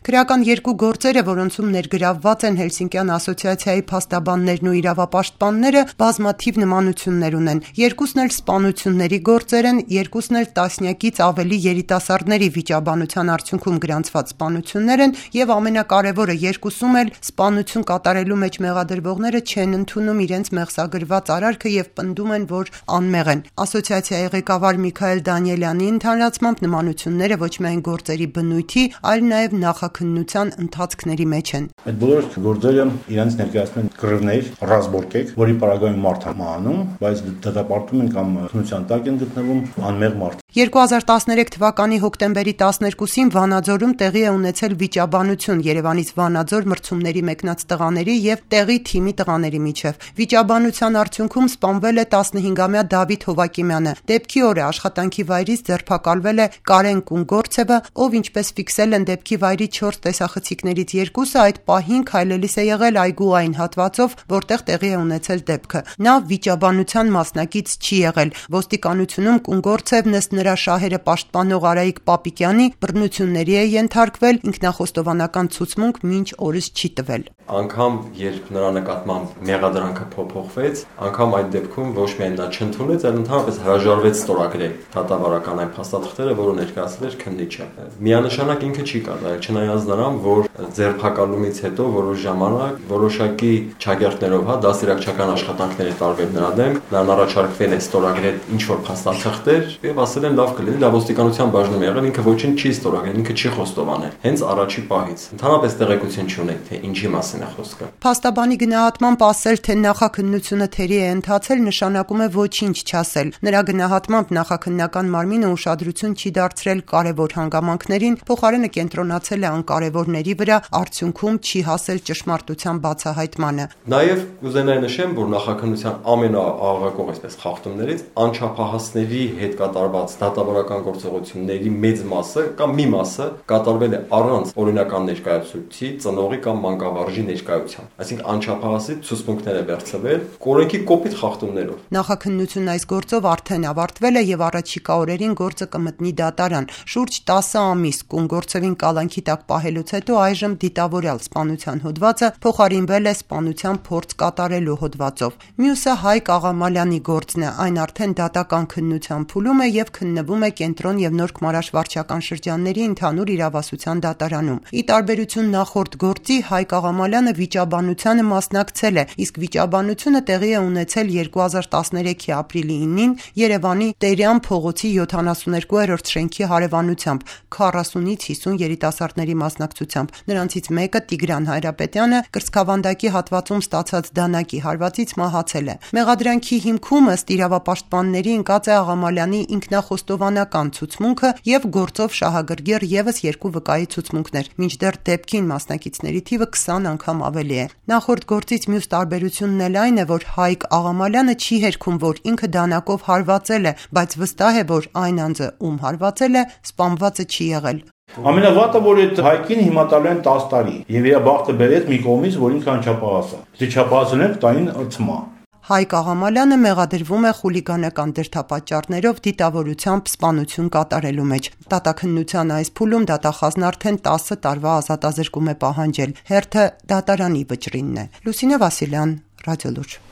Քրեական երկու գործերը, որոնցում ներգրավված են Հելսինկյան ասոցիացիայի փաստաբաններն ու իրավապաշտպանները, բազմաթիվ նմանություններ ունեն։ Երկուսն էլ սպանությունների գործեր են, երկուսն էլ տասնյակից ավելի երիտասարդների վիճաբանության արդյունքում գրանցված սպանություններ են եւ ամենակարևորը, երկուսում էլ սպանություն կատարելու մեջ մեղադրվողները չեն ընդունում իրենց մեղսագրված արարքը եւ պնդում են, որ անմեղ են։ Ասոցիացիայի ղեկավար Միքայել Դանիելյանի ընդհանրացմամբ նմանությունները ոչ միայն գործերի բնույթի, այլ նաեւ նախաքննության ընթացքների մեջ են։ Այդ բոլոր գործերը իրենց ներկայացնում են կռիվներ, ռազմորկեք, որի պարագայում մարդ է մահանում, բայց դատապարտում են կամ քննության տակ են գտնվում անմեղ մարդ։ 2013 թվականի հոկտեմբերի 12-ին Վանաձորում տեղի է ունեցել վիճաբանություն Երևանից Վանաձոր մրցումների մեկնած տղաների եւ տեղի թիմի տղաների միջև։ Վիճաբանության արդյունքում սպանվել է 15-ամյա Դավիթ Հովակիմյանը։ Դեպքի օրը աշխատանքի վայրից ձերբակալվել է Կարեն Կունգորցևը, ով ինչպես ֆիքսել են դեպքի վայրի 4 տեսախցիկներից երկուսը այդ պահին քայլելիս է եղել այգու այն հատվածով, որտեղ տեղի է ունեցել դեպքը։ Նա վիճաբանության մասնակից չի եղել։ Ոստիկանությունում Կունգորցևն ըստ նրա շահերը պաշտպանող Արայիկ Պապիկյանի բռնությունների է ենթարկվել, ինքնախոստովանական ցուցմունք մինչ օրս չի տվել։ Անգամ երբ նրա նկատմամբ մեղադրանքը փոփոխվեց, անգամ այդ դեպքում ոչ միայն նա չընդունեց, այլ ընդհանրապես հրաժարվեց ստորագրել դատավարական այն փաստաթղթերը, որը ներկայացրել էր քննիչը։ Միանշանակ ինքը չի կատարել, չնայած նրան, որ ձերբակալումից հետո որոշ ժամանակ որոշակի չագերտներով, դաստիարակչական աշխատանքներ է տարվել նրա դեմ, նրան առաջարկվել է ստորագրել ինչ-որ փաստաթղթեր եւ ասել են լավ կլինի, դա ոստիկանության բաժնում եղել, ինքը ոչինչ չի ստորագրել, ինքը չի խոստովանել։ Հենց առաջի պահից ընդհանրապես տեղեկություն չունենք, թե ինչի մասին է խոսքը։ Փաստաբանի գնահատմամբ ասել, թե նախաքննությունը թերի է ընթացել, նշանակում է ոչինչ չասել։ Նրա գնահատմամբ նախաքննական մարմինը ուշադրություն չի դարձրել կարևոր հանգամանքներին, փոխարենը կենտրոնացել է անկարևորների վրա, արդյունքում չի հասել ճշմարտության բացահայտմանը։ Նաև կուզենայի նշեմ, որ նախաքննության ամենաաղաղակող այսպես խախտումներից անչափահասների հետ կատարված դատավարական գործողությունների մեծ մասը կամ մի մասը կատարվել է առանց օրինական ներկայացուցիչի, ծնողի կամ մանկավարժի ներկայության։ Այսինքն անչափահասի ցուցմունքներ է վերցվել կորենքի կոպիտ խախտումներով։ Նախաքննությունն այս գործով արդեն ավարտվել է եւ առաջիկա օրերին գործը կմտնի դատարան։ Շուրջ 10 ամիս Կունգորցևին կալանքի տակ պահելուց հետո այժմ դիտավորյալ սպանության հոդվածը փոխարինվել է սպանության փորձ կատարելու հոդվածով։ Մյուսը Հայկ Աղամալյանի գործն է, այն արդեն դատական քննության փուլում է եւ քննվում է Կենտրոն եւ Նորք Մարաշ վարչական շրջանների ընդհանուր իրավասության դատարանում։ Ի տարբերություն նախորդ գործի, Հայկ Աղամալյանը վիճաբանությանը մասնակցել է, իսկ վիճաբանությունը տեղի է ունեցել 2013-ի ապրիլի 9-ին Երևանի Տերյան փողոցի 72-րդ շենքի հարևանությամբ 40-ից 50 երիտասարդների մասնակցությամբ։ Նրանցից մեկը Տիգրան Հայրապետյանը կրծքավանդակի հատվածում ստացած դանակի հարվածից մահացել է։ Մեղադրանքի հիմքում ըստ իրավապաշտպանների ընկած է Աղամալյանի ինքնախոստովանական ցուցմունքը եւ գործով շահագրգիռ եւս 2 վկայի ցուցմունքներ, մինչդեռ դեպքին մասնակիցների թիվը 20 անգամ ավելի է։ Նախորդ գործից մյուս տարբերությունն էլ այն է, որ Հայկ Աղամալյանը չի հերքում, որ ինքը դանակով հարվածել է, բայց վստահ է, որ այն անձը, ում հարվածել է, սպանվածը չի եղել։ Ամենավատը, որ այդ Հայկին հիմա տալու են 10 տարի եւ իր բախտը բերեց մի կողմից, որ ինքը անչափահաս է։ Դե չափահասներ տային ծմա։ Հայկ Աղամալյանը մեղադրվում է խուլիգանական դրդապատճառներով դիտավորությամբ սպանություն կատարելու մեջ։ Դատաքննության այս փուլում դատախազն արդեն 10 տարվա ազատազրկում է պահանջել։ Հերթը դատարանի վճռինն է։ Լուսինե Վասիլյան, Ռադիոլուր։